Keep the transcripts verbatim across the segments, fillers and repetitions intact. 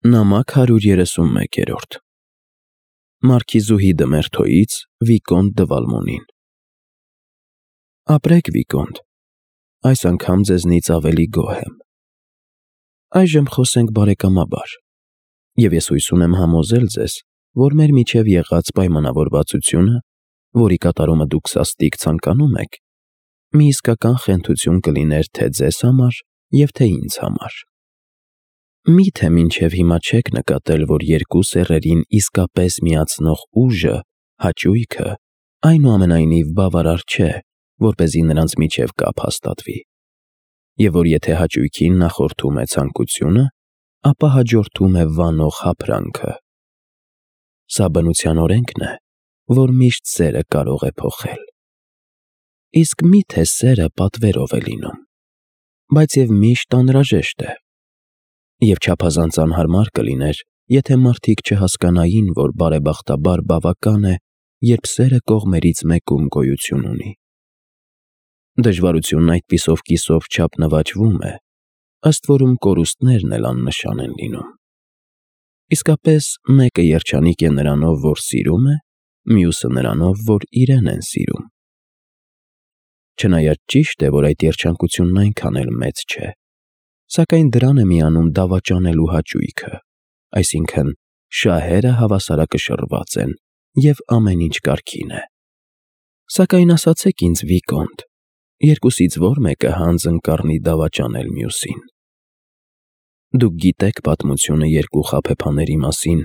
Նամակ հարյուր երեսունմեկ Մարքիզուհի դը Մերթոյից Վիկոնտ դը Վալմոնին։ Ապրեք, Վիկոնտ, այս անգամ ձեզնից ավելի գոհ եմ։ Այժմ խոսենք բարեկամաբար, և ես հույս ունեմ համոզել ձեզ, որ մեր միջև եղած պայմանավորվածությունը, որի կատարումը դուք սաստիկ ցանկանում եք, մի իսկական խենթություն կլիներ թե ձեզ համար և թե ինձ համար։ Մի՞թե մինչև հիմա չեք նկատել, որ երկու սեռերին իսկապես միացնող ուժը, հաճույքը, այնուամենայնիվ բավարար չէ, որպեսզի նրանց միջև կապ հաստատվի, և որ եթե հաճույքին նախորդում է ցանկությունը, ապա հաջորդում է վանող հափրանքը։ Սա բնության օրենքն է, որ միշտ սերը կարող է փոխել։ Իսկ մի՞թե սերը պատվերով է լինում, բայց և միշտ անհրաժեշտ է։ Եվ չափազանց անհարմար կլիներ, եթե մարդիկ չհասկանային, որ բարեբախտաբար բավական է, երբ սերը կողմերից մեկում գոյություն ունի։ Դժվարությունն այդպիսով կիսով չափ նվաճվում է, ըստ որում կորուստներն էլ աննշան են լինում։ Իսկապես, մեկը երջանիկ է նրանով, որ սիրում է, մյուսը նրանով, որ իրեն են սիրում։ Չնայած ճիշտ է, որ այդ երջանկությունն այնքան էլ մեծ չէ, սակայն դրան է միանում դավաճանելու հաճույքը, այսինքն՝ շահերը հավասարակշռված են, և ամեն ինչ կարգին է։ Սակայն ասացեք ինձ, Վիկոնտ, երկուսից ո՞ր մեկը հանձն կառնի դավաճանել մյուսին։ Դուք գիտեք պատմությունը երկու խաբեբաների մասին,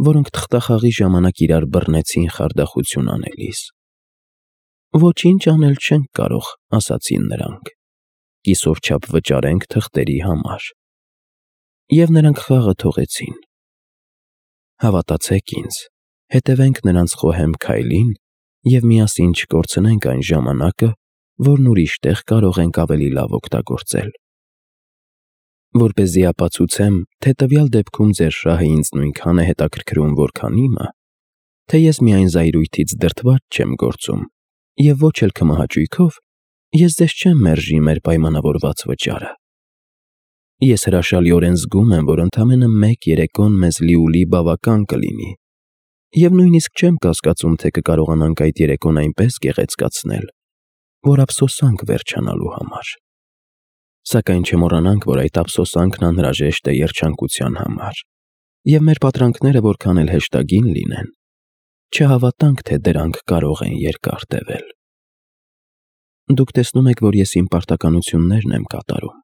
որոնք թղթախաղի ժամանակ իրար բռնեցին խարդախություն անելիս։ «Ոչինչ անել չենք կարող», ասացին նրանք, «կիսով չափ վճարենք թղթերի համար»։ Եվ նրանք խաղը թողեցին։ Հավատացեք ինձ, հետևենք նրանց խոհեմ քայլին և միասին չկորցնենք այն ժամանակը, որն ուրիշ տեղ կարող ենք ավելի լավ օգտագործել։ Որպեսզի ապացուցեմ, թե տվյալ դեպքում ձեր շահը ինձ նույնքան է հետաքրքրում, որքան իմը, թե ես միայն զայրույթից դրդված չեմ գործում, և ոչ էլ քմահաճույքով, ես ձեզ չեմ մերժի մեր պայմանավորված վճարը։ Ես հրաշալիորեն զգում եմ, որ ընդամենը մեկ երեկոն մեզ լիուլի բավական կլինի, և նույնիսկ չեմ կասկածում, թե կկարողանանք այդ երեկոն այնպես գեղեցկացնել, որ ափսոսանք վերջանալու համար։ Սակայն չմոռանանք, որ այդ ափսոսանքն անհրաժեշտ է երջանկության համար, և մեր պատրանքները որքան էլ հեշտագին լինեն, չհավատանք, թե դրանք կարող են երկար տևել։ Դուք տեսնում եք, որ ես իմ պարտականություններն եմ կատարում,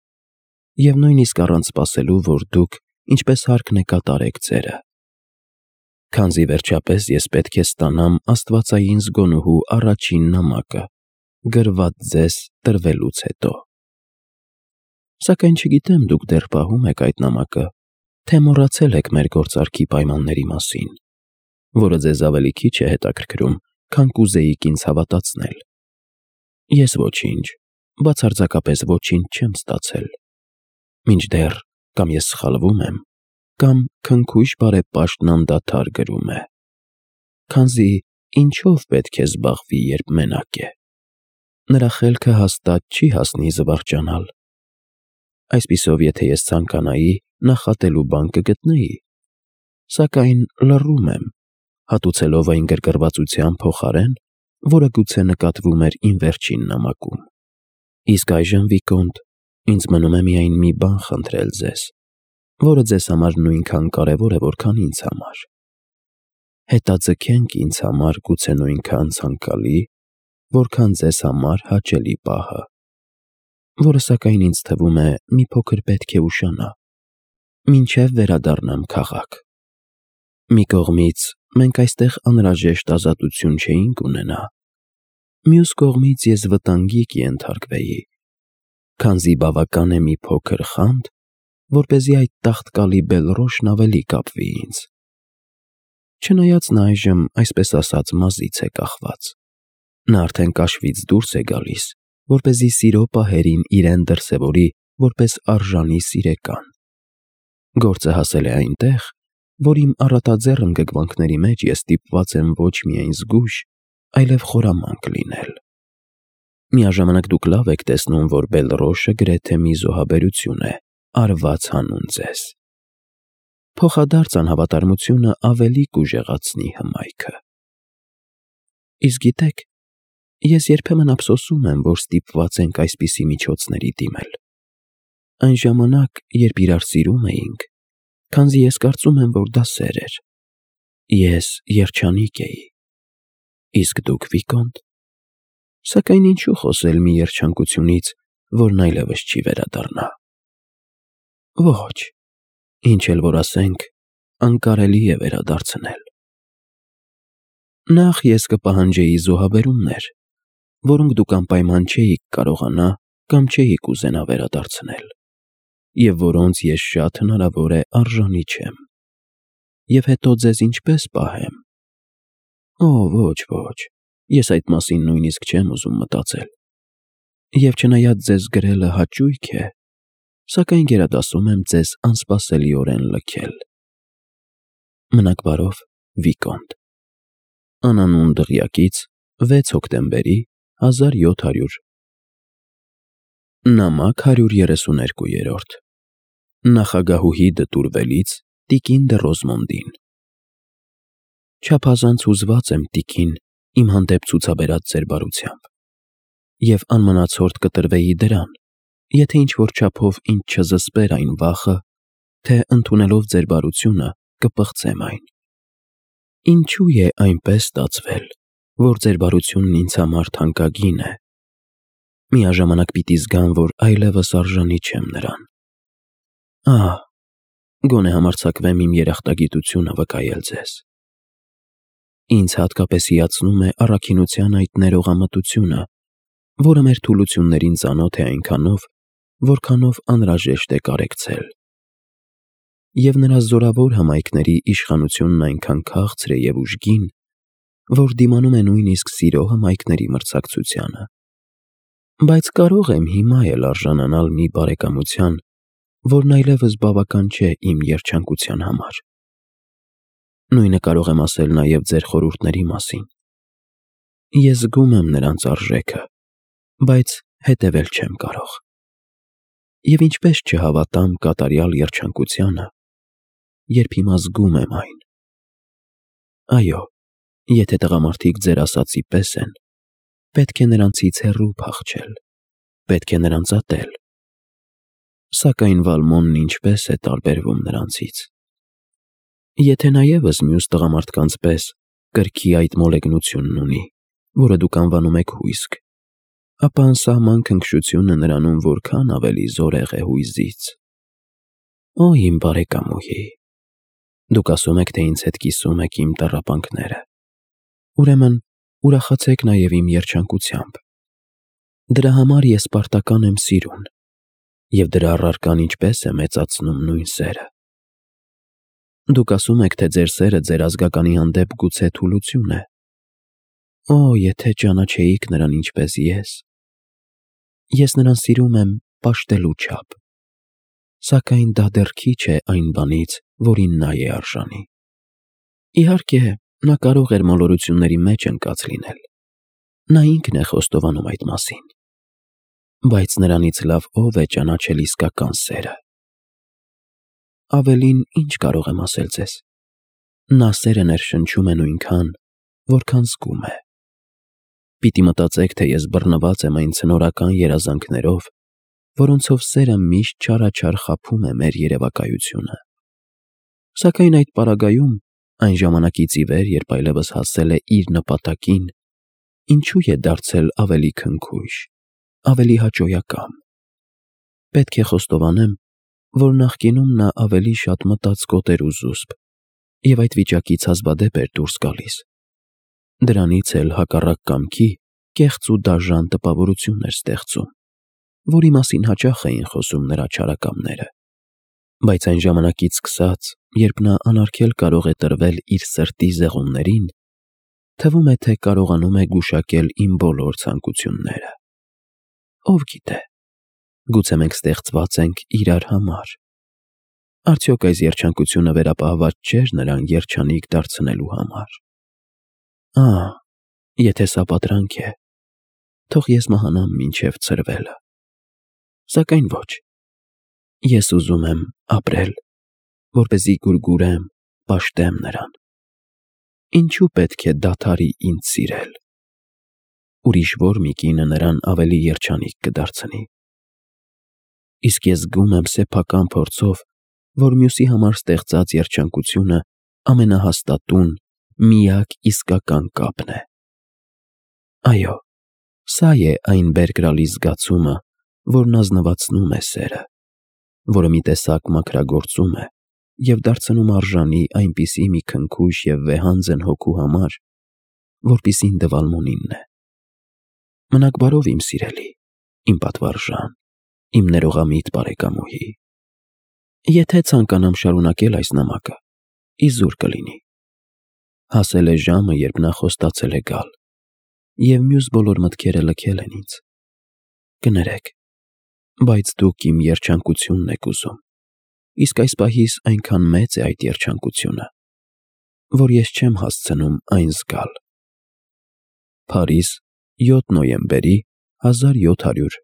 և նույնիսկ առանց սպասելու, որ դուք, ինչպես հարկն է, կատարեք ձերը։ Քանզի վերջապես ես պետք է ստանամ աստվածային զգոնուհու առաջին նամակը, գրված ձեզ տրվելուց հետո։ Սակայն չգիտեմ դուք դեռ պահում եք այդ նամակը, թե մոռացել եք մեր գործարքի պայմանների մասին, որը ձեզ ավելի քիչ է հետաքրքրում, քան կուզեիք ինձ հավատացնել։ Ես ոչինչ, բացարձակապես ոչինչ չեմ ստացել, մինչդեռ կամ ես սխալվում եմ, կամ քնքուշ բարեպաշտն անդադար գրում է։ Քանզի ինչո՞վ պետք է զբաղվի, երբ մենակ է։ Նրա խելքը հաստատ չի հասնի զվարճանալ։ Այսպիսով, եթե ես ցանկանայի, նախատելու բան կգտնեի, սակայն լռում եմ, հատուցելով այն գրգռվածության փոխարեն, որը գուցե նկատվում էր իմ վերջին նամակում։ Իսկ այժմ, Վիկոնտ, ինձ մնում է միայն մի բան խնդրել ձեզ, որը ձեզ համար նույնքան կարևոր է, որքան ինձ համար։ Հետաձգենք ինձ համար գուցե նույնքան ցանկալի, որքան ձեզ համար հաճելի պահը, որը սակայն ինձ թվում է մի փոքր պետք է ուշանա, մինչև վերադառնամ քաղաք։ Մի կողմից մենք այստեղ անհրաժեշտ ազատություն չէինք ունենա, մյուս կողմից ես վտանգի կենթարկվեի, քանզի բավական է մի փոքր խանդ, որպեսզի այդ տաղտկալի Բելռոշն ավելի կապվի ինձ։ Չնայած նա այժմ, այսպես ասած, մազից է կախված։ Նա արդեն կաշվից դուրս է գալիս, որպեսզի սիրո պահերին իրեն դրսևորի որպես արժանի սիրեկան։ Գործը հասել է այնտեղ, որ իմ առատաձեռն ընկճվանքների մեջ ես ստիպված եմ ոչ միայն զգույշ, այլև խորամանկ լինել։ Միաժամանակ դուք լավ եք տեսնում, որ Բելռոշը գրեթե մի զոհաբերություն է արված հանուն ձեզ։ փոխադարձ անհավատարմությունը ավելի կուժեղացնի հմայքը։ Իսկ գիտեք, ես երբեմն ափսոսում եմ, որ ստիպված ենք այսպիսի միջոցների դիմել։ Այն ժամանակ, երբ իրար սիրում էինք, քանզի ես կարծում եմ, որ դա սեր էր, ես երջանիկ էի, իսկ դուք Վիկոնտ, սակայն ինչու խոսել մի երջանկությունից, որն այլևս չի վերադառնա։ Ոչ, ինչ էլ որ ասենք, անկարելի է վերադարձնել։ Նախ ես կպահանջեի զոհաբերումներ, որոնք դուք անպայման չէիք կարողանա կամ չէիք ուզենա վերադարձնել, և որոնց ես շատ հնարավոր է արժանի չեմ, և հետո ձեզ ինչպես պահեմ։ Օ, ոչ, ոչ, ես այդ մասին նույնիսկ չեմ ուզում մտածել, և չնայած ձեզ գրելը հաճույք է, սակայն գերադասում եմ ձեզ անսպասելիորեն լքել։ Մնաք բարով, Վիկոնտ։ Անանուն դղյակից վեց հոկտեմբերի հազար յոթ հարյուր Նամակ հարյուր երեսուներկու Նախագահուհի դտուրվելից տիկին դը Ռոզմոնդին։ Չափազանց հուզված եմ, տիկին, իմ հանդեպ ցուցաբերած ձեր բարությամբ, և անմնացորդ կտրվեի դրան, եթե ինչ-որ չափով ինձ չզսպեր այն վախը, թե ընդունելով ձեր բարությունը կպղծեմ այն։ Ինչու է այնպես ստացվել, որ ձեր բարությունն ինձ համար թանկագին է։ Միաժամանակ պիտի զգամ, որ այլևս արժանի չեմ նրան։ Ահ, գոնե համարձակվեմ իմ երախտագիտությունը վկայել ձեզ։ Ինձ հատկապես հիացնում է առաքինության այդ ներողամտությունը, որը մեր թուլություններին ծանոթ է այնքանով, որքանով անհրաժեշտ է կարեկցել։ Եվ նրա զորավոր հմայքների իշխանությունն այնքան քաղցր է և ուժգին, որ դիմանում է նույնիսկ սիրո հմայքների մրցակցությանը։ Բայց կարող եմ հիմա էլ արժանանալ մի բարեկամության, որն այլևս բավական չէ իմ երջանկության համար։ Նույնը կարող եմ ասել նաև ձեր խորհուրդների մասին։ Ես զգում եմ նրանց արժեքը, բայց հետևել չեմ կարող։ Եվ ինչպես չհավատամ կատարյալ երջանկությանը, երբ հիմա զգում եմ այն։ Այո, եթե տղամարդիկ ձեր ասածի պես են, պետք է նրանցից հեռու փախչել, պետք է նրանց ատել։ Սակայն Վալմոնն ինչպես է տարբերվում նրանցից։ Եթե նա ևս մյուս տղամարդկանց պես կրքի այդ մոլեգնությունն ունի, որը դուք անվանում եք հույսք, ապա անսահման քնքշությունը նրանում որքան ավելի զորեղ է հույզից։ Օ, իմ բարեկամուհի, դուք ասում եք, թե ինձ հետ կիսում եք իմ տառապանքները, ուրեմն ուրախացեք նաև իմ երջանկությամբ։ Դրա համար ես պարտական եմ սիրուն, և դրա առարկան ինչպես է մեծացնում նույն սերը։ Դուք ասում եք, թե ձեր սերը ձեր ազգականի հանդեպ գուցե թուլություն է։ Օ, եթե ճանաչեիք նրան ինչպես ես։ Ես նրան սիրում եմ պաշտելու չափ, սակայն դա դեռ քիչ է այն բանից, որին նա է արժանի։ Իհարկե, նա կարող էր մոլորությունների մեջ ընկած լինել։ Նա ինքն է խոստովանում այդ մասին։ Բայց նրանից լավ ո՞վ է ճանաչել իսկական սերը։ Ավելին ինչ կարող եմ ասել ձեզ։ Նա սերը ներշնչում է նույնքան, որքան զգում է։ Պիտի մտածեք, թե ես բռնված եմ այն ցնորական երազանքներով, որոնցով սերը միշտ չարաչար խաբում է մեր երևակայությունը։ Սակայն այդ պարագայում, այն ժամանակից ի վեր, երբ այլևս հասել է իր նպատակին, ինչու է դարձել ավելի քնքուշ, ավելի հաճոյակամ։ Պետք է խոստովանեմ, որ նախկինում նա ավելի շատ մտածկոտ էր ու զուսպ, և այդ վիճակից հազվադեպ էր դուրս գալիս։ Դրանից էլ հակառակ կամքի կեղծ ու դաժան տպավորություն էր ստեղծում, որի մասին հաճախ էին խոսում նրա չարակամները։ Բայց այն ժամանակից սկսած, երբ նա անարգել կարող է տրվել իր սրտի զեղումներին, թվում է, թե կարողանում է գուշակել իմ բոլոր ցանկությունները։ Ով գիտե, գուցե մենք ստեղծված ենք իրար համար։ Արդյոք այս երջանկությունը վերապահված չէր նրան երջանիկ դարձնելու համար։ Ահ, եթե սա պատրանք է, թող ես մահանամ մինչև ցրվելը։ Սակայն ոչ։ Ես ուզում եմ ապրել, որպեսզի գուրգուրեմ, պաշտեմ նրան։ Ինչու պետք է դադարի ինձ սիրել։ Ուրիշ որ մի կինը նրան ավելի երջանիկ կդարձնի։ Իսկ ես զգում եմ սեփական փորձով, որ մյուսի համար ստեղծած երջանկությունը ամենահաստատուն, միակ իսկական կապն է։ Այո, սա է այն բերկրալի զգացումը, որն ազնվացնում է սերը, որը մի տեսակ մաքրագործում է և դարձնում արժանի այնպիսի մի քնքուշ և վեհանձն հոգու համար, որպիսին դվալմունինն է։ Մնաք բարով, իմ սիրելի, իմ պատվարժան, իմ ներողամիտ բարեկամուհի։ Եթե ցանկանամ շարունակել այս նամակը, իզուր կլինի։ Հասել է ժամը, երբ նա խոստացել է գալ, և մյուս բոլոր մտքերը լքել են ինձ։ Կներեք, բայց դուք իմ երջանկությունն եք ուզում, իսկ այս պահիս այնքան մեծ է այդ երջանկությունը, որ ես չեմ հասցնում այն զգալ։ Փարիզ, յոթ նոյեմբերի հազար յոթ հարյուր